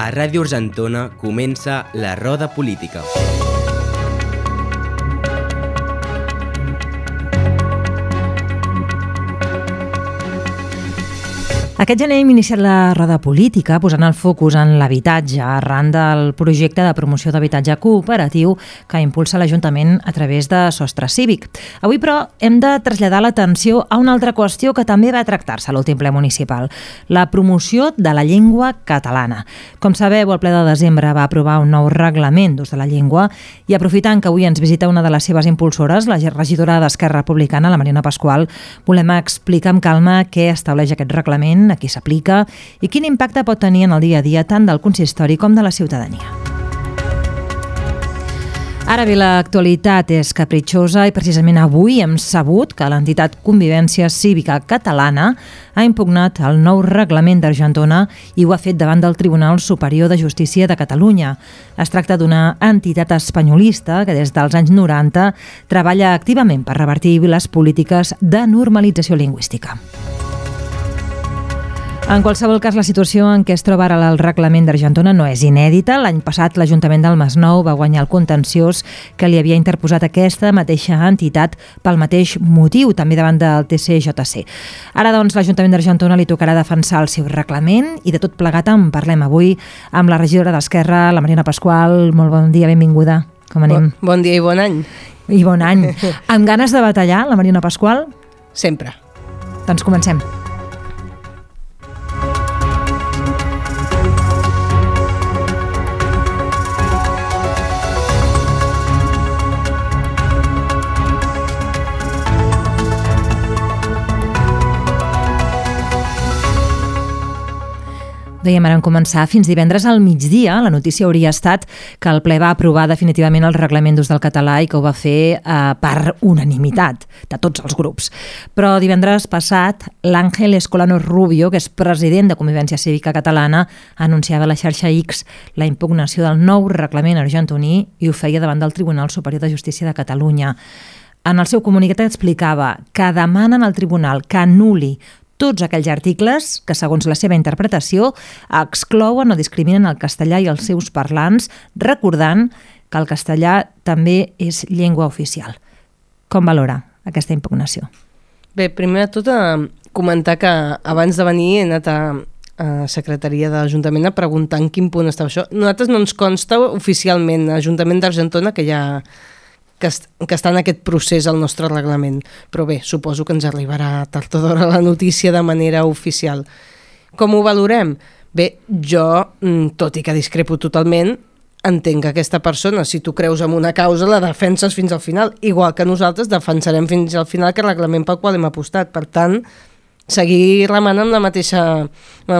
A Ràdio Argentona comença la Roda Política. Aquest gener hem iniciat la Roda Política posant el focus en l'habitatge arran del projecte de promoció d'habitatge cooperatiu que impulsa l'Ajuntament a través de Sostre Cívic. Avui, però, hem de traslladar l'atenció a una altra qüestió que també va tractar-se a l'últim ple municipal, la promoció de la llengua catalana. Com sabeu, el ple de desembre va aprovar un nou reglament d'ús de la llengua i aprofitant que avui ens visita una de les seves impulsores, la regidora d'Esquerra Republicana, la Mariona Pasqual, volem explicar amb calma què estableix aquest reglament, a qui s'aplica i quin impacte pot tenir en el dia a dia tant del consistori com de la ciutadania. Ara bé, l'actualitat és capritxosa i precisament avui hem sabut que l'entitat Convivència Cívica Catalana ha impugnat el nou reglament d'Argentona i ho ha fet davant del Tribunal Superior de Justícia de Catalunya. Es tracta d'una entitat espanyolista que des dels anys 90 treballa activament per revertir les polítiques de normalització lingüística. En qualsevol cas, la situació en què es troba ara el reglament d'Argentona no és inèdita. L'any passat l'Ajuntament del Masnou va guanyar el contenciós que li havia interposat aquesta mateixa entitat pel mateix motiu, també davant del TCJC. Ara, doncs, l'Ajuntament d'Argentona li tocarà defensar el seu reglament i de tot plegat en parlem avui amb la regidora d'Esquerra, la Mariona Pasqual. Molt bon dia, benvinguda. Com anem? Bon dia i bon any. I bon any. Amb ganes de batallar, la Mariona Pasqual? Sempre. Doncs comencem. Dèiem, ara en començar, fins divendres al migdia, la notícia hauria estat que el ple va aprovar definitivament el reglament d'ús del català i que ho va fer per unanimitat de tots els grups. Però divendres passat, l'Àngel Escolano Rubio, que és president de Convivència Cívica Catalana, anunciava a la xarxa X la impugnació del nou reglament argentoní i ho feia davant del Tribunal Superior de Justícia de Catalunya. En el seu comunicat explicava que demanen al tribunal que anul·li tots aquells articles que, segons la seva interpretació, exclouen o discriminen el castellà i els seus parlants, recordant que el castellà també és llengua oficial. Com valora aquesta impugnació? Bé, primer de tot, comentar que abans de venir he anat a Secretaria de l'Ajuntament a preguntar en quin punt estava això. Nosaltres no ens consta oficialment, l'Ajuntament d'Argentona, que està en aquest procés al nostre reglament. Però bé, suposo que ens arribarà tard o d'hora la notícia de manera oficial. Com ho valorem? Bé, jo, tot i que discrepo totalment, entenc que aquesta persona, si tu creus en una causa, la defenses fins al final, igual que nosaltres defensarem fins al final que el reglament pel qual hem apostat. Per tant, seguir remant amb la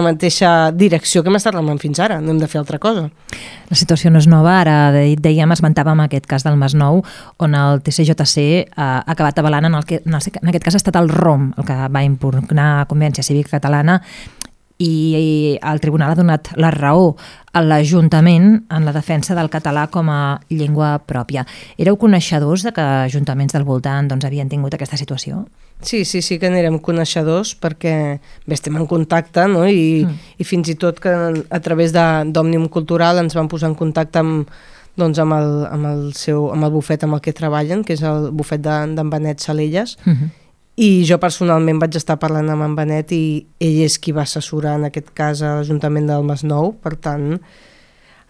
mateixa direcció que hem estat remant fins ara. No hem de fer altra cosa. La situació no és nova. Ara esmentàvem aquest cas del Masnou, on el TCJC ha acabat avalant, en aquest cas ha estat el ROM el que va impugnar Convivència Cívica Catalana, i el tribunal ha donat la raó a l'Ajuntament en la defensa del català com a llengua pròpia. Éreu coneixedors de que ajuntaments del voltant havien tingut aquesta situació? Sí que n'érem coneixedors perquè estem en contacte, no? I fins i tot que a través d'Òmnium Cultural ens van posar en contacte amb el bufet amb el que treballen, que és el bufet d'en Benet Salelles, i jo personalment vaig estar parlant amb en Benet i ell és qui va assessorar en aquest cas a l'Ajuntament del Masnou. Per tant,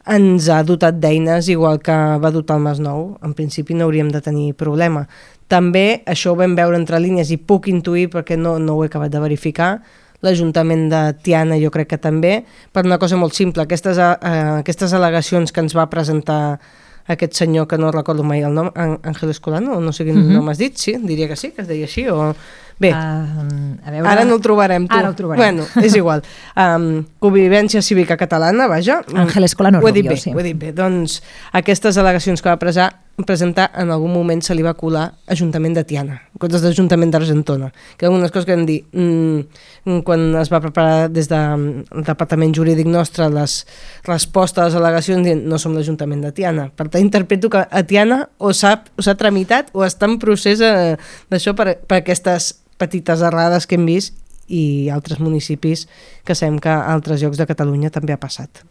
ens ha dotat d'eines igual que va dotar el Masnou. En principi no hauríem de tenir problema. També això ho vam veure entre línies i puc intuir, perquè no ho he acabat de verificar, l'Ajuntament de Tiana jo crec que també, per una cosa molt simple. Aquestes al·legacions que ens va presentar aquest senyor, que no recordo mai el nom, Ángel Escolano, o no sé quin nom has dit, sí, diria que sí, que es deia així, o... Bé, ara no el trobarem, tu. Ara el trobarem. Bueno, és igual. Convivència Cívica Catalana, vaja. Àngel Escolano Rubio, sí. Ho he dit bé. Doncs aquestes al·legacions que va presentar en algun moment se li va colar Ajuntament de Tiana, en comptes d'Ajuntament d'Argentona, que algunes coses que vam dir quan es va preparar des del departament jurídic nostre les respostes a les al·legacions dient no som l'Ajuntament de Tiana. Per tant, interpreto que a Tiana o s'ha tramitat o està en procés d'això per aquestes petites errades que hem vist i altres municipis que sabem que a altres llocs de Catalunya també ha passat.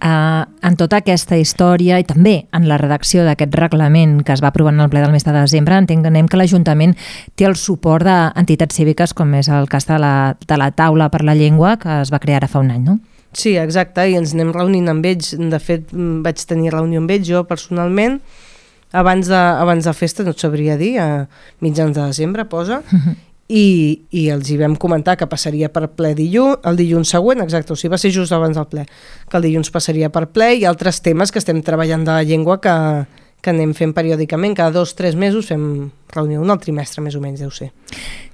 En tota aquesta història i també en la redacció d'aquest reglament que es va aprovar en el ple del mes de desembre, entenem que l'Ajuntament té el suport d'entitats cíviques, com és el cas de la Taula per la Llengua, que es va crear ara fa un any, no? Sí, exacte, i ens anem reunint amb ells. De fet, vaig tenir reunió amb ells jo personalment, abans de festa, no et sabria dir, a mitjans de desembre, posa, i els hi vam comentar que passaria per ple el dilluns següent, exacte, o sigui, va ser just abans del ple, que el dilluns passaria per ple, i altres temes que estem treballant de la llengua que anem fent periòdicament, cada 2 o 3 mesos fem reunió, un al trimestre més o menys, deu ser.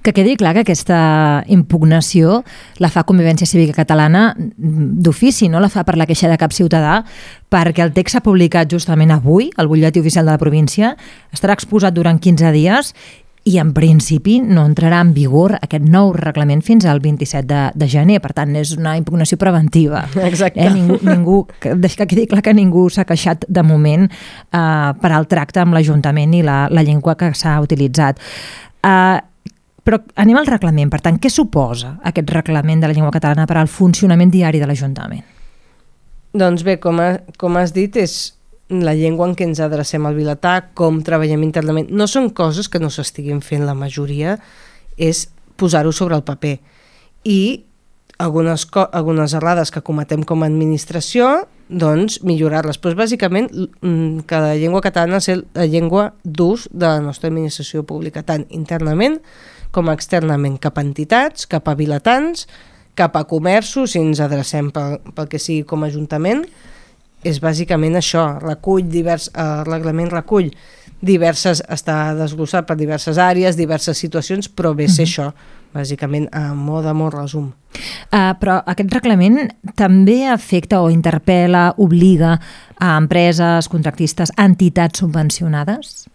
Que quedi clar que aquesta impugnació la fa Convivència Cívica Catalana d'ofici, no la fa per la queixa de cap ciutadà, perquè el text s'ha publicat justament avui, al butlletí oficial de la província, estarà exposat durant 15 dies i en principi no entrarà en vigor aquest nou reglament fins al 27 de gener, per tant és una impugnació preventiva. Exacte. Ningú, que quedi clar que ningú s'ha queixat de moment per al tracte amb l'Ajuntament i la llengua que s'ha utilitzat. Però anem al reglament, per tant, què suposa aquest reglament de la llengua catalana per al funcionament diari de l'Ajuntament? Doncs bé, com has dit, és la llengua en què ens adrecem al vilatà, com treballem internament. No són coses que no s'estiguin fent la majoria, és posar-ho sobre el paper. I algunes errades que cometem com a administració, doncs millorar-les. Però bàsicament que la llengua catalana és la llengua d'ús de la nostra administració pública, tant internament com externament, cap a entitats, cap a vilatans, cap a comerços, si ens adrecem pel que sigui com a ajuntament. És bàsicament això, el reglament recull està desglossat per diverses àrees, diverses situacions, però ve ser això, bàsicament, a molt resum. Però aquest reglament també afecta o interpel·la, obliga a empreses, contractistes, entitats subvencionades?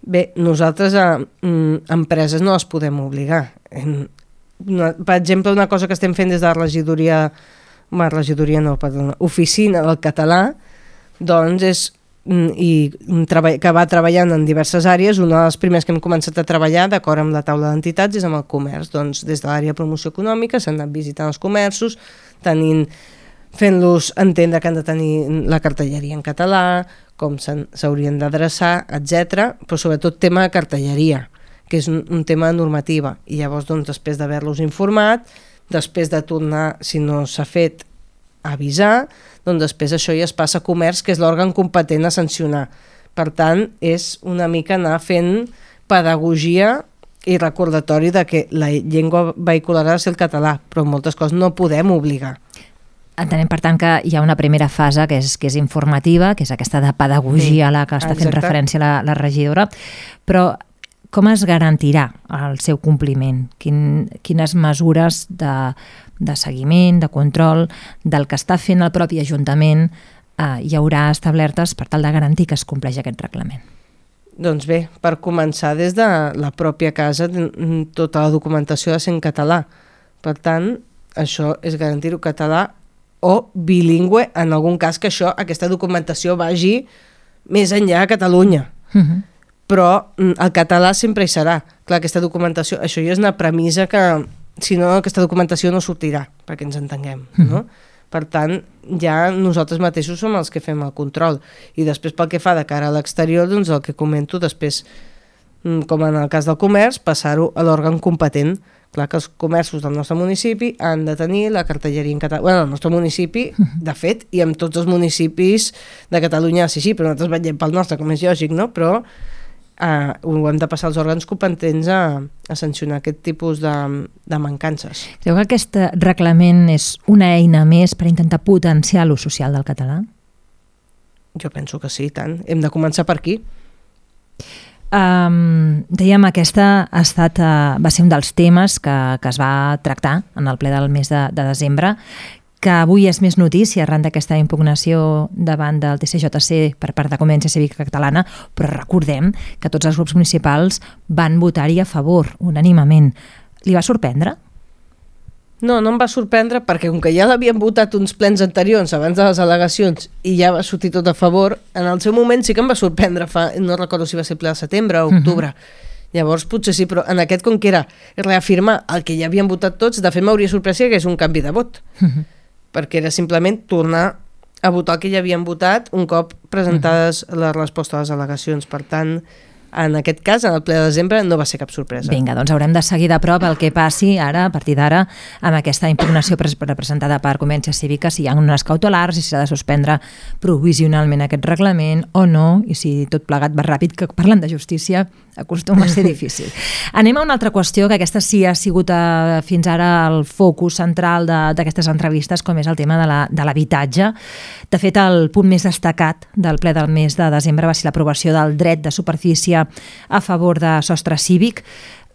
Bé, nosaltres a empreses no les podem obligar. Per exemple, una cosa que estem fent des de la oficina del català, doncs que va treballant en diverses àrees. Una de les primeres que hem començat a treballar d'acord amb la taula d'entitats és amb el comerç. Doncs des de l'àrea de promoció econòmica s'han anat visitant els comerços, fent-los entendre que han de tenir la cartelleria en català, com s'haurien d'adreçar, etc. Però sobretot tema de cartelleria, que és un tema de normativa. I llavors, doncs, després d'haver-los informat, després de tornar, si no s'ha fet, a avisar, doncs després això ja es passa a comerç, que és l'òrgan competent a sancionar. Per tant, és una mica anar fent pedagogia i recordatori de que la llengua vehicular ha de ser el català, però moltes coses no podem obligar. Entenem, per tant, que hi ha una primera fase que és informativa, que és aquesta de pedagogia a la que està fent referència la regidora, però com es garantirà el seu compliment? Quines mesures de seguiment, de control del que està fent el propi Ajuntament hi haurà establertes per tal de garantir que es compleix aquest reglament? Doncs bé, per començar, des de la pròpia casa, tota la documentació ha de ser en català. Per tant, això és garantir-ho català o bilingüe, en algun cas que aquesta documentació vagi més enllà a Catalunya. Però el català sempre hi serà. Clar, aquesta documentació, això ja és una premissa que, si no, aquesta documentació no sortirà, perquè ens entenguem, no? Per tant, ja nosaltres mateixos som els que fem el control. I després, pel que fa de cara a l'exterior, doncs el que comento després, com en el cas del comerç, passar-ho a l'òrgan competent. Clar que els comerços del nostre municipi han de tenir la cartelleria en català. Bueno, el nostre municipi, de fet, i amb tots els municipis de Catalunya, sí, però nosaltres vetllem pel nostre, com és lògic, no? Però ho hem de passar als òrgans competents a sancionar aquest tipus de mancances. Creu que aquest reglament és una eina més per intentar potenciar l'ús social del català? Jo penso que sí, tant. Hem de començar per aquí. Dèiem, aquesta va ser un dels temes que es va tractar en el ple del mes de desembre, que avui és més notícia arran d'aquesta impugnació davant del TCJC per part de Convivència Cívica Catalana, però recordem que tots els grups municipals van votar-hi a favor, unànimement. Li va sorprendre? No em va sorprendre perquè com que ja l'havien votat uns plens anteriors abans de les al·legacions i ja va sortir tot a favor, en el seu moment sí que em va sorprendre, no recordo si va ser el ple de setembre o octubre. Llavors potser sí, però en aquest com que era reafirmar el que ja havien votat tots, de fet m'hauria sorprès que és un canvi de vot. Perquè era simplement tornar a votar el que ja havien votat un cop presentades la resposta a les al·legacions. Per tant, en aquest cas, en el ple de desembre, no va ser cap sorpresa. Vinga, doncs haurem de seguir de prop el que passi ara, a partir d'ara, amb aquesta impugnació representada per Convivència Cívica, si hi ha unes cautelars i si s'ha de suspendre provisionalment aquest reglament o no, i si tot plegat va ràpid, que parlant de justícia acostuma a ser difícil. Anem a una altra qüestió, que aquesta sí ha sigut fins ara el focus central d'aquestes entrevistes, com és el tema de l'habitatge. De fet, el punt més destacat del ple del mes de desembre va ser l'aprovació del dret de superfície a favor de sostre cívic.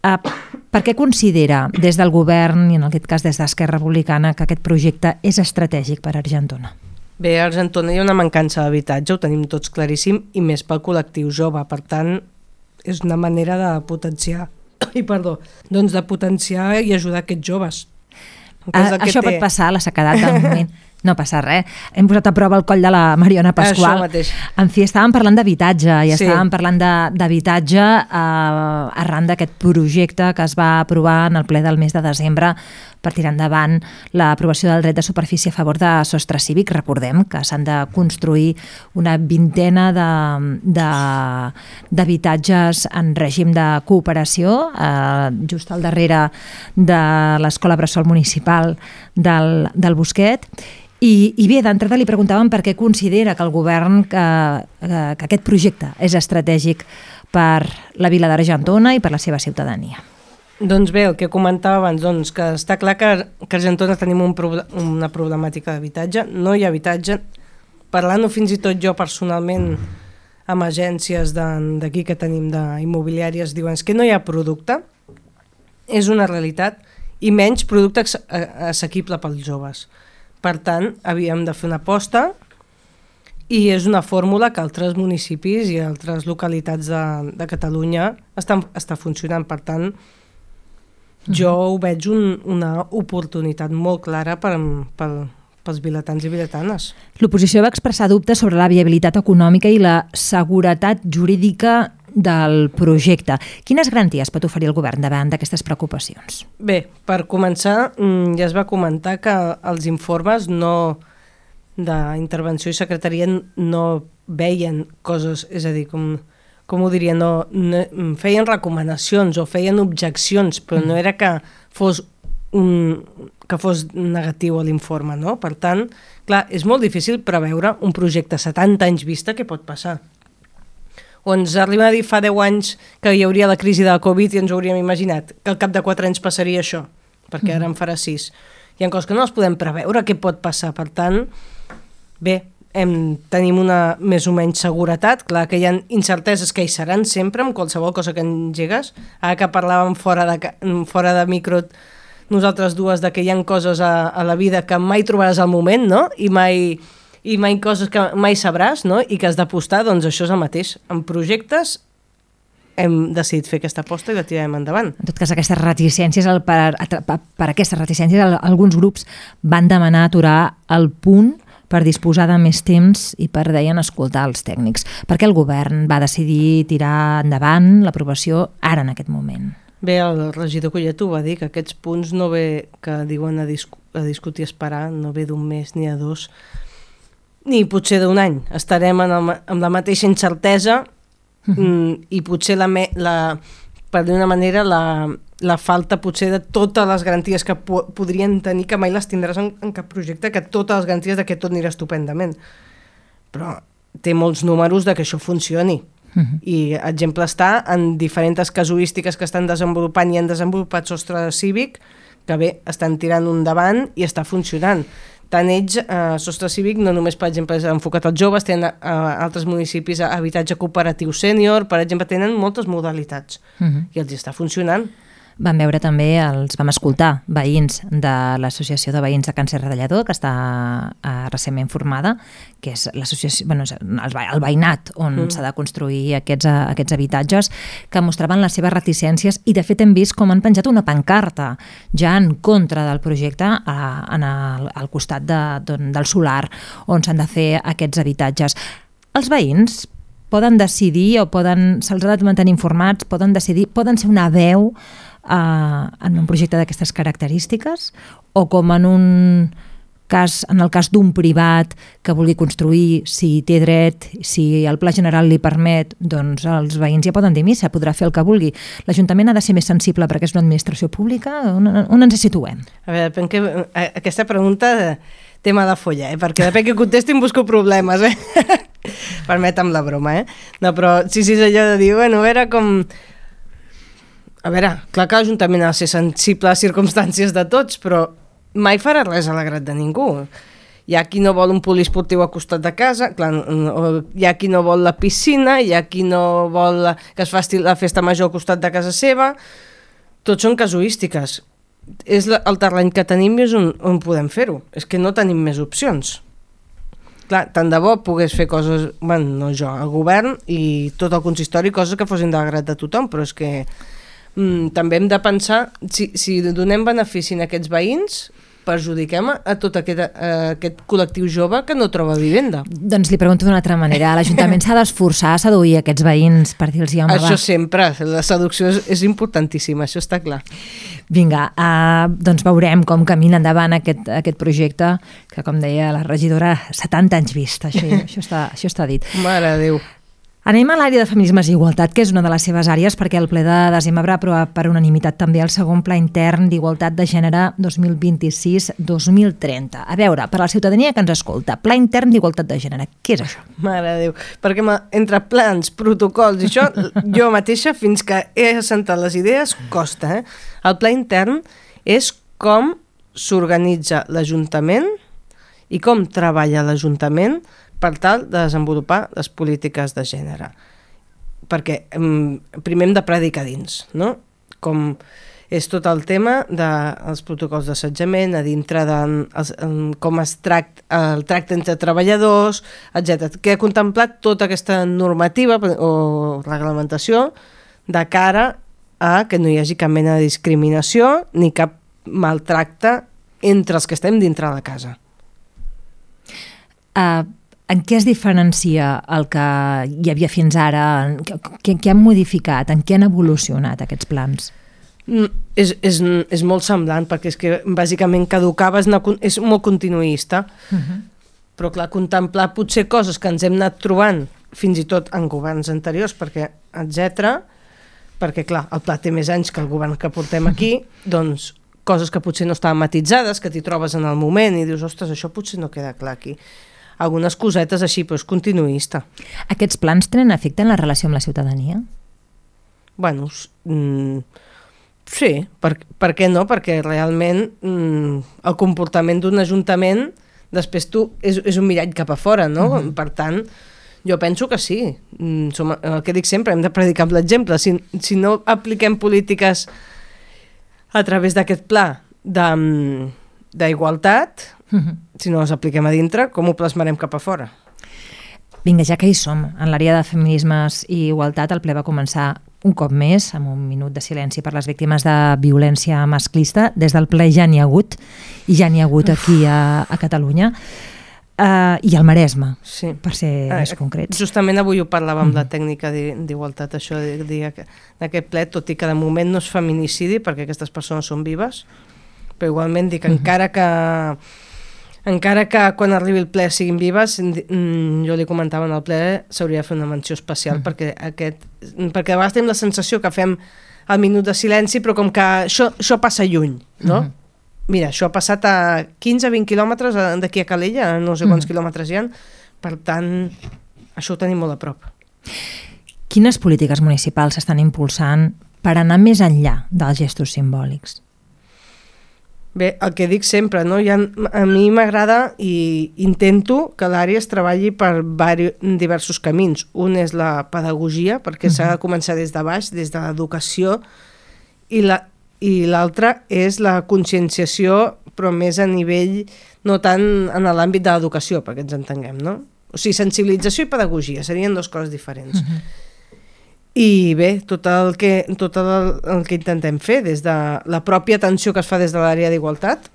Per què considera des del govern, i en aquest cas des d'Esquerra Republicana, que aquest projecte és estratègic per Argentona? Bé, a Argentona hi ha una mancança d'habitatge, ho tenim tots claríssim, i més pel col·lectiu jove. Per tant, és una manera de potenciar, doncs de potenciar i ajudar aquests joves. Això pot passar, la sequedat del moment. No passa res. Hem posat a prova el coll de la Mariona Pasqual. Això mateix. En fi, estàvem parlant d'habitatge i estàvem parlant d'habitatge arran d'aquest projecte que es va aprovar en el ple del mes de desembre per tirar endavant l'aprovació del dret de superfície a favor de sostre cívic. Recordem que s'han de construir una vintena d'habitatges en règim de cooperació, just al darrere de l'Escola Bressol Municipal del Bosquet. I bé, d'entrada li preguntàvem per què considera que el govern que aquest projecte és estratègic per la vila d'Argentona i per la seva ciutadania. Doncs bé, el que comentava abans, doncs, que està clar que a Argentona tenim una problemàtica d'habitatge, no hi ha habitatge. Parlant-ho fins i tot jo personalment amb agències d'aquí que tenim d'immobiliàries, diuen que no hi ha producte, és una realitat, i menys producte assequible pels joves. Per tant, havíem de fer una aposta i és una fórmula que altres municipis i altres localitats de Catalunya està funcionant. Per tant, jo ho veig una oportunitat molt clara pels vilatans i vilatanes. L'oposició va expressar dubtes sobre la viabilitat econòmica i la seguretat jurídica del projecte. Quines garanties pot oferir el govern davant d'aquestes preocupacions? Bé, per començar, ja es va comentar que els informes d'intervenció i secretaria no veien coses, és a dir, com ho diria, no feien recomanacions o feien objeccions, però no era que fos negatiu a l'informe, no? Per tant, clar, és molt difícil preveure un projecte a 70 anys vista que pot passar. O ens arriba a dir fa 10 anys que hi hauria la crisi de la Covid i ens ho hauríem imaginat, que al cap de 4 anys passaria això, perquè ara en farà 6. Hi ha coses que no les podem preveure què pot passar, per tant, bé, tenim una més o menys seguretat, clar que hi ha incerteses que hi seran sempre amb qualsevol cosa que engegues, ara que parlàvem fora de micro nosaltres dues de que hi ha coses a la vida que mai trobaràs al moment, no? I mai coses que mai sabràs, no? I que has d'apostar, doncs això és el mateix. En projectes hem decidit fer aquesta aposta i la tirarem endavant. En tot cas, aquestes reticències, per aquestes reticències, alguns grups van demanar aturar el punt per disposar de més temps i per, deien, escoltar els tècnics. Per què el govern va decidir tirar endavant l'aprovació ara en aquest moment? Bé, el regidor Collet ho va dir, que aquests punts no ve, que diuen a discutir i esperar, no ve d'un mes ni a 2, ni potser d'un any. Estarem amb la mateixa incertesa i potser per d'una manera la falta potser de totes les garanties que podrien tenir, que mai les tindràs en cap projecte, que totes les garanties de que tot anirà estupendament. Però té molts números de que això funcioni. I exemple està en diferents casuístiques que estan desenvolupant i han desenvolupat sostre cívic, que bé, estan tirant un davant i està funcionant. Tant ells, sostre cívic, no només, per exemple, és enfocat als joves, tenen altres municipis habitatge cooperatiu sènior, per exemple, tenen moltes modalitats i els està funcionant. Vam escoltar veïns de l'Associació de Veïns de Càncer Radellador, que està recentment formada, que és l'associació, el veïnat on s'ha de construir aquests habitatges, que mostraven les seves reticències i de fet hem vist com han penjat una pancarta ja en contra del projecte al costat del solar on s'han de fer aquests habitatges. Els veïns poden decidir o se'ls ha de mantenir informats, poden decidir, poden ser una veu en un projecte d'aquestes característiques o com en un en el cas d'un privat que vulgui construir, si té dret, si el pla general li permet, doncs els veïns ja poden dir missa, podrà fer el que vulgui. L'Ajuntament ha de ser més sensible perquè és una administració pública? On ens situem? A veure, aquesta pregunta té mala folla, perquè depèn que contesti em busco problemes, Permetem la broma, No, però sí, és allò de dir, a veure com... A veure, clar que l'Ajuntament ha de ser sensible a les circumstàncies de tots, però mai farà res a l'agrat de ningú. Hi ha qui no vol un poliesportiu al costat de casa, clar, hi ha qui no vol la piscina, hi ha qui no vol que es faci la festa major al costat de casa seva. Tots són casuístiques. És el terreny que tenim i és on podem fer-ho. És que no tenim més opcions. Clar, tant de bo pogués fer coses, bueno, no jo, el govern i tot el consistori, coses que fossin de l'agrat de tothom, però és que també hem de pensar si donem benefici a aquests veïns, perjudiquem a tot aquest col·lectiu jove que no troba vivenda. Doncs li pregunto d'una altra manera. L'Ajuntament s'ha d'esforçar a seduir aquests veïns per dir-los home, Això sempre, la seducció és importantíssima, això està clar. Vinga, doncs veurem com camina endavant aquest projecte, que com deia la regidora, 70 anys vist, això està dit. Mare de Déu. Anem a l'àrea de feminismes i igualtat, que és una de les seves àrees, perquè el ple de desembre ha aprovat per unanimitat també el segon pla intern d'igualtat de gènere 2026-2030. A veure, per a la ciutadania que ens escolta, pla intern d'igualtat de gènere, què és això? Mare de Déu, perquè entre plans, protocols i això, jo mateixa, fins que he assentat les idees, costa. El pla intern és com s'organitza l'Ajuntament i com treballa l'Ajuntament per tal de desenvolupar les polítiques de gènere. Perquè primer hem de predicar dins, no? Com és tot el tema dels protocols d'assetjament, a dintre de com es el tracte entre treballadors, etc. Que ha contemplat tota aquesta normativa o reglamentació de cara a que no hi hagi cap mena de discriminació ni cap maltracte entre els que estem dintre de casa. En què es diferencia el que hi havia fins ara? Què han modificat? En què han evolucionat aquests plans? És molt semblant, perquè és que bàsicament caducava, és molt continuista. Però clar, contemplar potser coses que ens hem anat trobant fins i tot en governs anteriors, perquè clar, el pla té més anys que el govern que portem aquí, doncs coses que potser no estaven matitzades, que t'hi trobes en el moment i dius, ostres, això potser no queda clar aquí. Algunes cosetes així, però és continuista. Aquests plans tenen efecte en la relació amb la ciutadania? Bueno, sí, per què no? Perquè realment el comportament d'un ajuntament després és un mirall cap a fora, no? Per tant, jo penso que sí. El que dic sempre, hem de predicar amb l'exemple. Si no apliquem polítiques a través d'aquest pla d'igualtat, si no les apliquem a dintre, com ho plasmarem cap a fora? Vinga, ja que hi som, en l'àrea de feminismes i igualtat, el ple va començar un cop més, amb un minut de silenci per les víctimes de violència masclista. Des del ple ja n'hi ha hagut, i ja n'hi ha hagut aquí a Catalunya, i al Maresme, per ser més concrets. Justament avui ho parlàvem amb la tècnica d'igualtat, això de dir que aquest ple, tot i que de moment no és feminicidi, perquè aquestes persones són vives, però igualment dic, encara que quan arribi el ple siguin vives, jo li comentava en el ple, s'hauria de fer una menció especial, perquè a vegades tenim la sensació que fem el minut de silenci, però com que això passa lluny, no? Mira, això ha passat a 15-20 quilòmetres d'aquí a Calella, no sé quants quilòmetres hi ha, per tant, això ho tenim molt a prop. Quines polítiques municipals s'estan impulsant per anar més enllà dels gestos simbòlics? Bé, el que dic sempre, no? A mi m'agrada i intento que l'àrea es treballi per diversos camins. Un és la pedagogia, perquè s'ha de començar des de baix, des de l'educació, i l'altre és la conscienciació, però més a nivell, no tant en l'àmbit de l'educació, perquè ens entenguem, no? O sigui, sensibilització i pedagogia serien dues coses diferents. I bé, tot el que intentem fer des de la pròpia atenció que es fa des de l'àrea d'igualtat,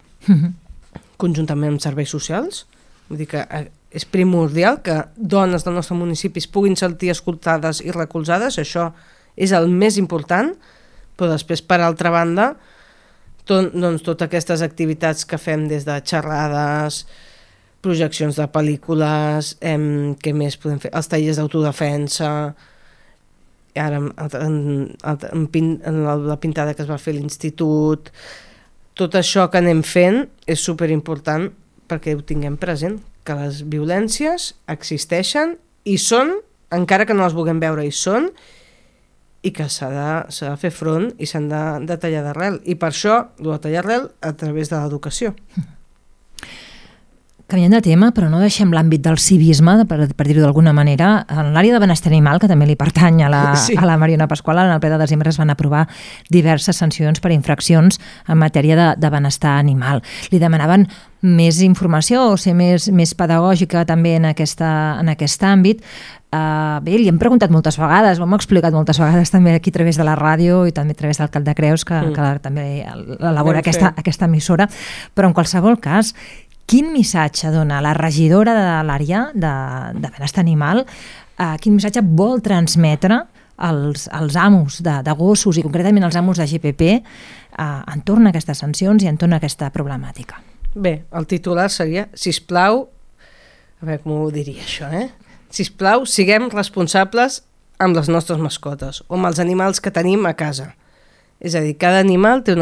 conjuntament amb serveis socials, vull dir que és primordial que dones del nostre municipi puguin sentir escoltades i recolzades, això és el més important, però després, per altra banda, doncs, totes aquestes activitats que fem des de xerrades, projeccions de pel·lícules, què més podem fer? Els tallers d'autodefensa, ara la pintada que es va fer a l'institut, tot això que anem fent és superimportant perquè ho tinguem present, que les violències existeixen i són, encara que no les vulguem veure, hi són, i que s'ha de fer front i s'han de tallar d'arrel. I per això, de tallar d'arrel a través de l'educació. Canviant de tema, però no deixem l'àmbit del civisme, per dir-ho d'alguna manera. En l'àrea de benestar animal, que també li pertany a la Mariona Pasqual, en el ple de desembre es van aprovar diverses sancions per infraccions en matèria de benestar animal. Li demanaven més informació o ser més pedagògica també en aquest àmbit. Bé, li hem preguntat moltes vegades, ho hem explicat moltes vegades també aquí a través de la ràdio i també a través del Cap de Creus, que també elabora aquesta emissora, però en qualsevol cas, quin missatge dona la regidora de l'àrea de benestar animal, quin missatge vol transmetre als amos de gossos i concretament als amos de GPP entorn a aquestes sancions i entorn a aquesta problemàtica? Bé, el titular seria, sisplau, a veure com ho diria això, sisplau, siguem responsables amb les nostres mascotes o amb els animals que tenim a casa. És a dir, cada animal té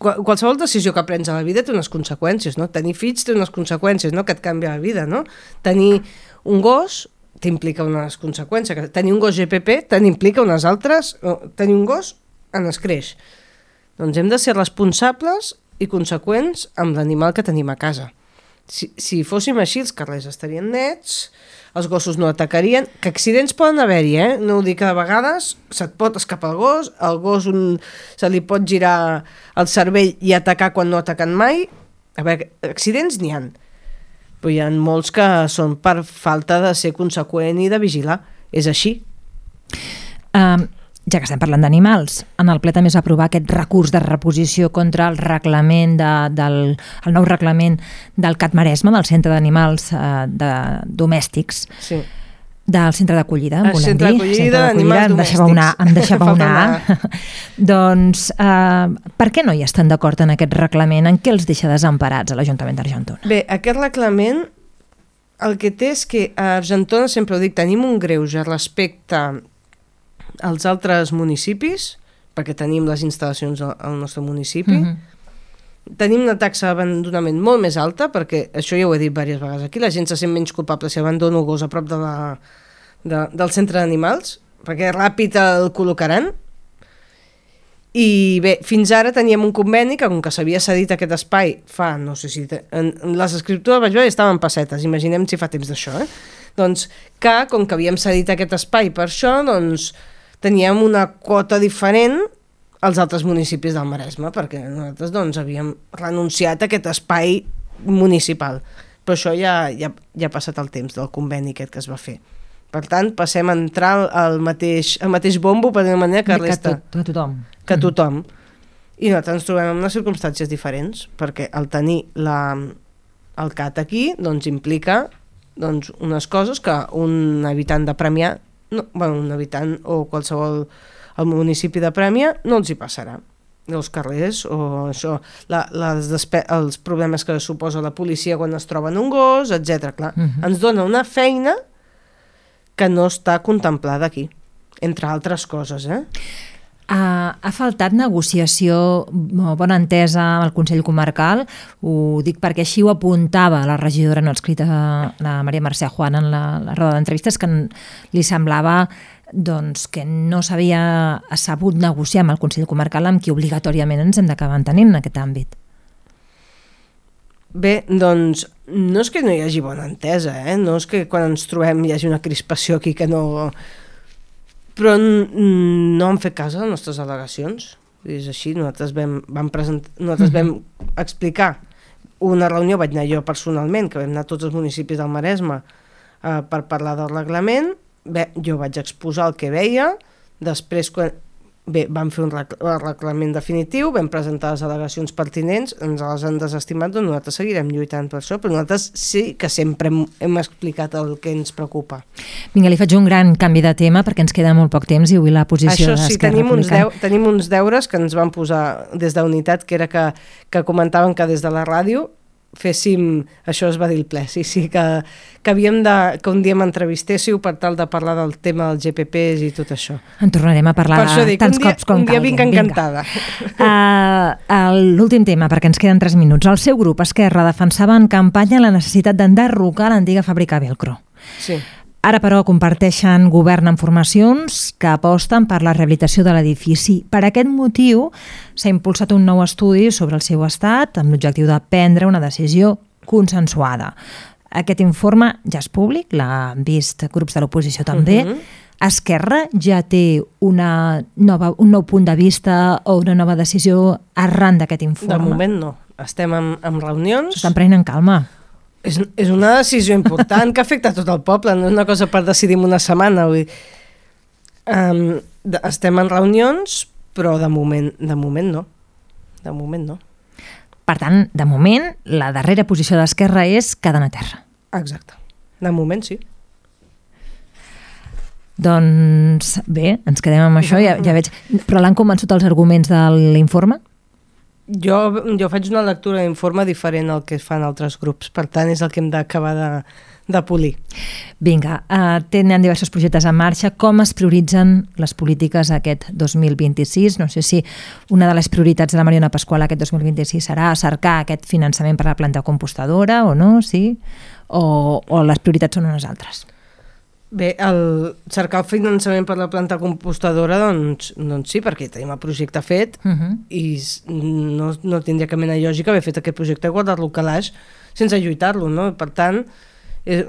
qualsevol decisió que prens a la vida té unes conseqüències, no? Tenir fills té unes conseqüències, no? Que et canvia la vida, no? Tenir un gos t'implica unes conseqüències, tenir un gos GPP t'implica unes altres, tenir un gos en escreix. Doncs hem de ser responsables i conseqüents amb l'animal que tenim a casa. Si fóssim així, els carrers estarien nets, els gossos no atacarien, que accidents poden haver-hi, no ho dic, que de vegades se't pot escapar el gos se li pot girar el cervell i atacar quan no ataquen mai. A veure, accidents n'hi ha, però hi ha molts que són per falta de ser conseqüent i de vigilar, és així. Ja que estem parlant d'animals, en el ple també es va aprovar aquest recurs de reposició contra el reglament el nou reglament del CAT Maresme, del Centre d'Animals Domèstics, sí. Del centre d'acollida, volem dir. Centre d'acollida d'animals domèstics. Em deixava una. Doncs, per què no hi estan d'acord en aquest reglament? En què els deixa desemparats a l'Ajuntament d'Argentona? Bé, aquest reglament el que té és que a Argentona, sempre ho dic, tenim un greuge respecte als altres municipis, perquè tenim les instal·lacions al nostre municipi, tenim una taxa d'abandonament molt més alta, perquè això ja ho he dit diverses vegades aquí, la gent se sent menys culpable si abandona un gos a prop del centre d'animals, perquè ràpid el col·locaran. I bé, fins ara teníem un conveni que, com que s'havia cedit aquest espai fa, no sé si... Les escriptures vaig veure estaven pessetes, imaginem si fa temps d'això, Doncs que, com que havíem cedit aquest espai per això, doncs teníem una quota diferent als altres municipis del Maresme, perquè nosaltres doncs, havíem renunciat a aquest espai municipal. Però això ja ha passat el temps del conveni aquest que es va fer. Per tant, passem a entrar al mateix bombo, per dir-ho manera, que resta... Que tothom. Que tothom. I nosaltres ens trobem en unes circumstàncies diferents, perquè el tenir el CAT aquí doncs, implica unes coses que un habitant de Premià, un habitant o qualsevol al municipi de Premià no els hi passarà. Els carrers o això, els problemes que suposa la policia quan es troben un gos, etc. Clar, ens dona una feina que no està contemplada aquí, entre altres coses. Ha faltat negociació, bona entesa amb el Consell Comarcal, ho dic perquè així ho apuntava la regidora no adscrita, la Maria Mercè Juan, en la roda d'entrevistes, que li semblava que no s'havia sabut negociar amb el Consell Comarcal, amb qui obligatòriament ens hem d'acabar entenent en aquest àmbit. Bé, doncs no és que no hi hagi bona entesa, no és que quan ens trobem hi hagi una crispació aquí que no... Però no han fet cas a les nostres al·legacions. És així, nosaltres vam explicar una reunió, vaig anar jo personalment, que vam anar a tots els municipis del Maresme per parlar del reglament. Bé, jo vaig exposar el que veia, després Bé, vam fer un reglament definitiu, vam presentar les al·legacions pertinents, ens les han desestimat, doncs nosaltres seguirem lluitant per això, però nosaltres sí que sempre hem explicat el que ens preocupa. Vinga, li faig un gran canvi de tema perquè ens queda molt poc temps i avui la posició d'Esquerra Republicana. Tenim uns deures que ens van posar des d'Unitat, que era que comentaven que des de la ràdio féssim, això es va dir el ple, sí, que havíem que un dia m'entrevistéssiu per tal de parlar del tema dels GPPs i tot això. En tornarem a parlar tants cops com calgui. Un dia vinc encantada. L'últim tema, perquè ens queden 3 minuts. El seu grup, Esquerra, defensava en campanya la necessitat d'enderrocar l'antiga fàbrica Velcro. Sí. Ara, però, comparteixen govern amb formacions que aposten per la rehabilitació de l'edifici. Per aquest motiu, s'ha impulsat un nou estudi sobre el seu estat amb l'objectiu de prendre una decisió consensuada. Aquest informe ja és públic, l'han vist grups de l'oposició també. Esquerra ja té un nou punt de vista o una nova decisió arran d'aquest informe? De moment no. Estem en reunions. S'estan prenent en calma. És una decisió important que afecta tot el poble, no és una cosa per decidir en una setmana. Estem en reunions, però de moment no. De moment no. Per tant, de moment, la darrera posició d'Esquerra és quedar a terra. Exacte. De moment sí. Doncs bé, ens quedem amb això, ja veig. Però l'han convençut els arguments de l'informe? Jo faig una lectura d'informe diferent al que fan altres grups, per tant és el que hem d'acabar de polir. Vinga, tenen diversos projectes en marxa. Com es prioritzen les polítiques aquest 2026? No sé si una de les prioritats de la Mariona Pasqual aquest 2026 serà cercar aquest finançament per a la planta compostadora o no, sí? O les prioritats són unes altres? Bé, cercar el finançament per la planta compostadora, doncs sí, perquè tenim el projecte fet i no tindria cap mena de lògica haver fet aquest projecte i guardar-lo al calaix sense lluitar-lo, no? Per tant,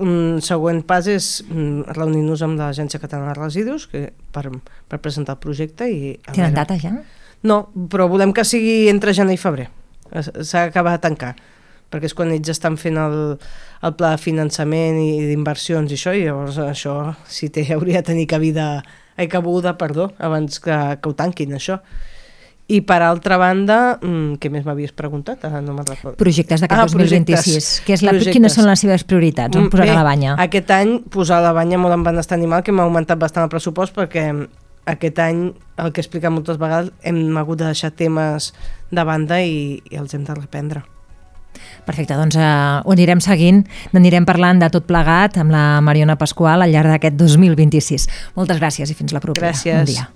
un següent pas és reunir-nos amb l'Agència Catalana de Residus per presentar el projecte. Tenen data ja? No, però volem que sigui entre gener i febrer. S'ha d'acabar de tancar, perquè és quan ells estan fent el pla de finançament i d'inversions i això, i llavors això sí hauria de tenir cabuda abans que ho tanquin, això. I per altra banda, què més m'havies preguntat? No me'n recordo. Projectes d'aquest 2026. Quines són les seves prioritats? On posarà la banya? Aquest any posar la banya molt en benestar animal, que m'ha augmentat bastant el pressupost, perquè aquest any, el que he explicat moltes vegades, hem hagut de deixar temes de banda i els hem de reprendre. Perfecte, doncs ho anirem seguint, n'anirem parlant de tot plegat amb la Mariona Pasqual al llarg d'aquest 2026. Moltes gràcies i fins la propera. Gràcies. Bon dia.